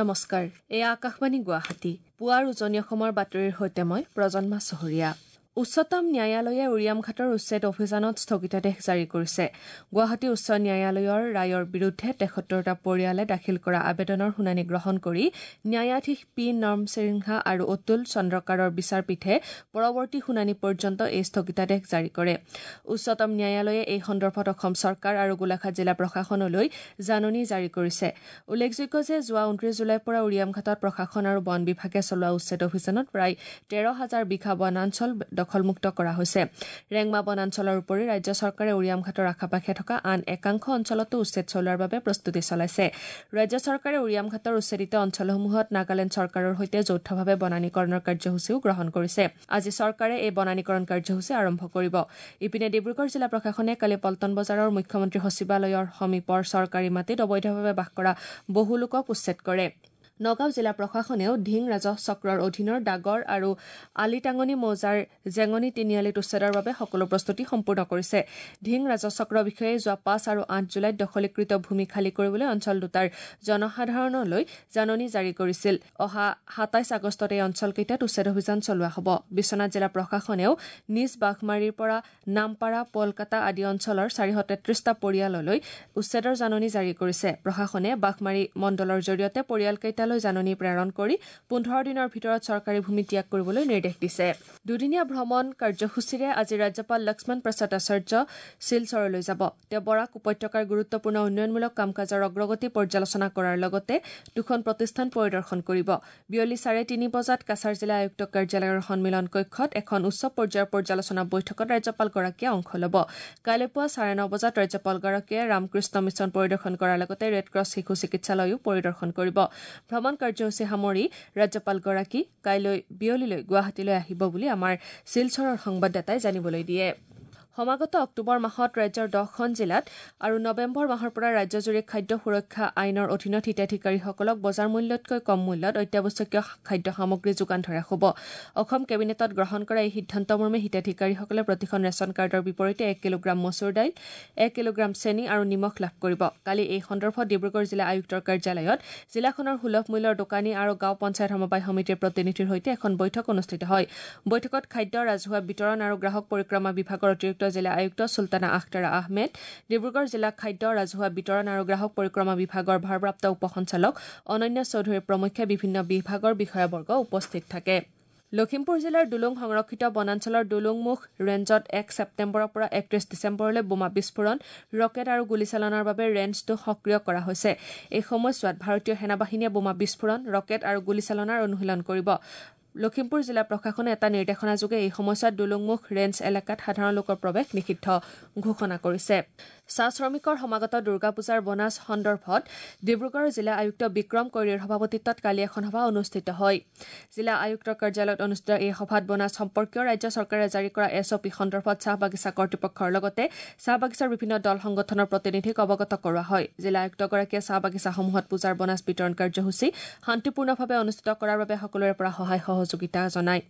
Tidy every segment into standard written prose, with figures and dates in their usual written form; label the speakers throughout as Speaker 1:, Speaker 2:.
Speaker 1: নমস্কাৰ, এয়া আকাশবাণী গুৱাহাটী। পুৱাৰ উজনি অসমৰ বাতৰিৰ সৈতে মই প্ৰজন্মা চহৰীয়া। উচ্চতম ন্যায়ালয়ে উৰিয়ামঘাটৰ উচ্ছেদ অভিযানত স্থগিতাদেশ জাৰি কৰিছে। গুৱাহাটী উচ্চ ন্যায়ালয়ৰ ৰায়ৰ বিৰুদ্ধে ৭৩টা পৰিয়ালে দাখিল কৰা আবেদনৰ শুনানি গ্ৰহণ কৰি ন্যায়াধীশ পি নৰসিংহা আৰু অতুল চন্দ্ৰকাৰৰ বিচাৰপীঠে পৰৱৰ্তী শুনানি পৰ্যন্ত এই স্থগিতাদেশ জাৰি কৰে। উচ্চতম ন্যায়ালয়ে এই সন্দৰ্ভত অসম চৰকাৰ আৰু গোলাঘাট জিলা প্ৰশাসনলৈ জাননী জাৰি কৰিছে। উল্লেখযোগ্য যে যোৱা ২৯ জুলাইৰ পৰা উৰিয়ামঘাটত প্ৰশাসন আৰু বন বিভাগে চলোৱা উচ্ছেদ অভিযানত প্ৰায় ১৩ হাজাৰ বিঘা বনাঞ্চল দখলমুক্ত কৰা হৈছে। ৰেংমা বনাঞ্চলৰ উপৰি ৰাজ্য চৰকাৰে উৰিয়ামঘাটৰ আশে-পাশে থকা আন একাংশ অঞ্চলতো উচ্ছেদ চলোৱাৰ বাবে প্ৰস্তুতি চলাইছে। ৰাজ্য চৰকাৰে উৰিয়ামঘাটৰ উচ্ছেদিত অঞ্চলসমূহত নাগালেণ্ড চৰকাৰৰ সৈতে যৌথভাৱে বনানীকৰণৰ কাৰ্যসূচীও গ্ৰহণ কৰিছে। আজি চৰকাৰে এই বনানীকৰণ কাৰ্যসূচী আৰম্ভ কৰিব। ইপিনে ডিব্ৰুগড় জিলা প্ৰশাসনে কালি পল্টন বজাৰৰ মুখ্যমন্ত্ৰী সচিবালয়ৰ সমীপৰ চৰকাৰী মাটিত অবৈধভাৱে বাস কৰা বহু লোকক উচ্ছেদ কৰে। নগাঁও জিলা প্ৰশাসনেও ধিং ৰাজহ চক্ৰৰ অধীনৰ ডাগৰ আৰু আলিটাঙনি মৌজাৰ জেঙনি তিনিআলিত উচ্ছেদৰ বাবে সকলো প্ৰস্তুতি সম্পূৰ্ণ কৰিছে। ধিং ৰাজহ চক্ৰ বিষয়াই যোৱা ৫ আৰু ৮ জুলাইত দখলীকৃত ভূমি খালী কৰিবলৈ অঞ্চল দুটাৰ জনসাধাৰণলৈ জাননী জাৰি কৰিছিল। অহা ২৭ আগষ্টত এই অঞ্চলকেইটাত উচ্ছেদ অভিযান চলোৱা হ'ব। বিশ্বনাথ জিলা প্ৰশাসনেও নিজ বাঘমাৰীৰ পৰা নামপাৰা, পলকাটা আদি অঞ্চলৰ ৪৩৩টা পৰিয়াললৈ উচ্ছেদৰ জাননী জাৰি কৰিছে। প্ৰশাসনে বাঘমাৰী মণ্ডলৰ জৰিয়তে পৰিয়ালকেইটালৈ জাননী প্ৰেৰণ কৰি ১৫ দিনৰ ভিতৰত চৰকাৰী ভূমি ত্যাগ কৰিবলৈ নিৰ্দেশ দিছে। দুদিনীয়া ভ্ৰমণ কাৰ্যসূচীৰে আজি ৰাজ্যপাল লক্ষ্মণ প্ৰসাদ আচাৰ্য শিলচৰলৈ যাব। তেওঁ বৰাক উপত্যকাৰ গুৰুত্বপূৰ্ণ উন্নয়নমূলক কাম কাজৰ অগ্ৰগতি পৰ্যালোচনা কৰাৰ লগতে দুখন প্ৰতিষ্ঠান পৰিদৰ্শন কৰিব। বিয়লি ৩:৩০ বজাত কাছাৰ জিলা আয়ুক্ত কাৰ্যালয়ৰ সন্মিলন কক্ষত এখন উচ্চ পৰ্যায়ৰ পৰ্যালোচনা বৈঠকত ৰাজ্যপালগৰাকীয়ে অংশ ল'ব। কাইলৈ পুৱা ৯:৩০ বজাত ৰাজ্যপালগৰাকীয়ে ৰামকৃষ্ণ মিছন পৰিদৰ্শন কৰাৰ লগতে ৰেডক্ৰছ শিশু চিকিৎসালয়ো পৰিদৰ্শন কৰিব। ভ্ৰমণ কাৰ্যসূচী সামৰি ৰাজ্যপালগৰাকী কাইলৈ বিয়লিলৈ গুৱাহাটীলৈ আহিব বুলি আমাৰ শিলচৰৰ সংবাদদাতাই জানিবলৈ দিয়ে। সমাগত অক্টোবৰ মাহত ৰাজ্যৰ ১০খন জিলাত আৰু নৱেম্বৰ মাহৰ পৰা ৰাজ্যজুৰি খাদ্য সুৰক্ষা আইনৰ অধীনত হিতাধিকাৰীসকলক বজাৰ মূল্যতকৈ কম মূল্যত অত্যাৱশ্যকীয় খাদ্য সামগ্ৰী যোগান ধৰা হ'ব। অসম কেবিনেটত গ্ৰহণ কৰা এই সিদ্ধান্ত মৰ্মে হিতাধিকাৰীসকলে প্ৰতিখন ৰেচন কাৰ্ডৰ বিপৰীতে ১ কিলোগ্ৰাম মচুৰ দাইল, ১ কিলোগ্ৰাম চেনি আৰু নিমখ লাভ কৰিব। কালি এই সন্দৰ্ভত ডিব্ৰুগড় জিলা আয়ুক্তৰ কাৰ্যালয়ত জিলাখনৰ সুলভ মূল্যৰ দোকানী আৰু গাঁও পঞ্চায়ত সমবায় সমিতিৰ প্ৰতিনিধিৰ সৈতে এখন বৈঠক অনুষ্ঠিত হয়। বৈঠকত খাদ্য, ৰাজহুৱা বিতৰণ আৰু গ্ৰাহক পৰিক্ৰমা বিভাগৰ অতিৰিক্ত জিলা আয়ুক্ত চুলতানা আখতাৰা আহমেদ, ডিব্ৰুগড় জিলা খাদ্য, ৰাজহুৱা বিতৰণ আৰু গ্ৰাহক পৰিক্ৰমা বিভাগৰ ভাৰপ্ৰাপ্ত উপ সঞ্চালক অনন্যা চৌধুৰী প্ৰমুখ্যে বিভিন্ন বিভাগৰ বিষয়াবৰ্গ উপস্থিত থাকে। লখিমপুৰ জিলাৰ দুলুং সংৰক্ষিত বনাঞ্চলৰ দুলুংমুখ ৰেঞ্জত ১ ছেপ্টেম্বৰৰ পৰা ৩১ ডিচেম্বৰলৈ বোমা বিস্ফোৰণ, ৰকেট আৰু গুলীচালনাৰ বাবে ৰেঞ্জটো সক্ৰিয় কৰা হৈছে। এই সময়ছোৱাত ভাৰতীয় সেনাবাহিনীয়ে বোমা বিস্ফোৰণ, ৰকেট আৰু গুলীচালনাৰ অনুশীলন কৰিব। লখিমপুৰ জিলা প্ৰশাসনে এটা নিৰ্দেশনাযোগে এই সময়ছোৱাত দুলুংমুখ ৰেঞ্জ এলেকাত সাধাৰণ লোকৰ প্ৰৱেশ নিষিদ্ধ ঘোষণা কৰিছে। চাহ শ্ৰমিকৰ সমাগত দুৰ্গা পূজাৰ বোনাছ সন্দৰ্ভত ডিব্ৰুগড় জিলা আয়ুক্ত বিক্ৰম কৈৰীৰ সভাপতিত্বত কালি এখন সভা অনুষ্ঠিত হয়। জিলা আয়ুক্তৰ কাৰ্যালয়ত অনুষ্ঠিত এই সভাত বোনাছ সম্পৰ্কীয় ৰাজ্য চৰকাৰে জাৰি কৰা এছ অ' পি সন্দৰ্ভত চাহ বাগিচা কৰ্তৃপক্ষৰ লগতে চাহ বাগিচাৰ বিভিন্ন দল সংগঠনৰ প্ৰতিনিধিক অৱগত কৰোৱা হয়। জিলা আয়ুক্তগৰাকীয়ে চাহ বাগিচাসমূহত পূজাৰ বোনাছ বিতৰণ কাৰ্যসূচী শান্তিপূৰ্ণভাৱে অনুষ্ঠিত কৰাৰ বাবে সকলোৰে পৰা সহায় সহযোগিতা জনায়।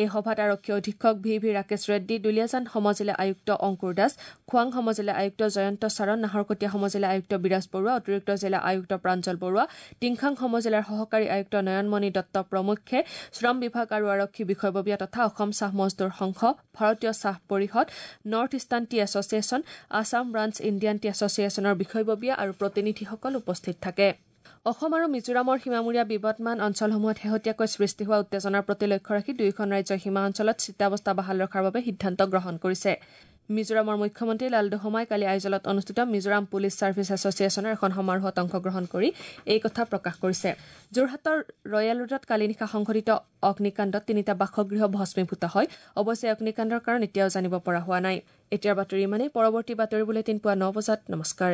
Speaker 1: এই সভাত আৰক্ষী অধীক্ষক ভি ভি ৰাকেশ ৰেড্ডী, দুলীয়াজান সমজিলা আয়ুক্ত অংকুৰ দাস, খোৱাং সমজিলা আয়ুক্ত জয়ন্ত চাৰণ, নাহৰকটীয়া সমজিলা আয়ুক্ত বিৰাজ বৰুৱা, অতিৰিক্ত জিলা আয়ুক্ত প্ৰাঞ্জল বৰুৱা, টিংখাং সমজিলাৰ সহকাৰী আয়ুক্ত নয়নমণি দত্ত প্ৰমুখ্যে শ্ৰম বিভাগ আৰু আৰক্ষী বিষয়ববীয়া তথা অসম চাহ মজদুৰ সংঘ, ভাৰতীয় চাহ পৰিষদ, North Eastern Tea Association, Assam Branch Indian Tea এছ'চিয়েশ্যনৰ বিষয়ববীয়া আৰু প্ৰতিনিধিসকল উপস্থিত থাকে। অসম আৰু মিজোৰামৰ সীমামূৰীয়া বিবদমান অঞ্চলসমূহত শেহতীয়াকৈ সৃষ্টি হোৱা উত্তেজনাৰ প্ৰতি লক্ষ্য ৰাখি দুয়োখন ৰাজ্যৰ সীমা অঞ্চলত স্থিতাৱস্থা বাহাল ৰখাৰ বাবে সিদ্ধান্ত গ্ৰহণ কৰিছে। মিজোৰামৰ মুখ্যমন্ত্ৰী লালডুহোমাই কালি আইজলত অনুষ্ঠিত মিজোৰাম পুলিচ ছাৰ্ভিচ এছ'চিয়েশ্যনৰ এখন সমাৰোহত অংশগ্ৰহণ কৰি এই কথা প্ৰকাশ কৰিছে। যোৰহাটৰ ৰয়েল ৰোডত কালি নিশা সংঘটিত অগ্নিকাণ্ডত তিনিটা বাসগৃহ ভস্মীভূত হয়। অৱশ্যে অগ্নিকাণ্ডৰ কাৰণ এতিয়াও জানিব পৰা হোৱা নাই। এতিয়াৰ বাতৰি ইমানেই। পৰৱৰ্তী বাতৰি বুলেটিন পুৱা ৯ বজাত। নমস্কাৰ।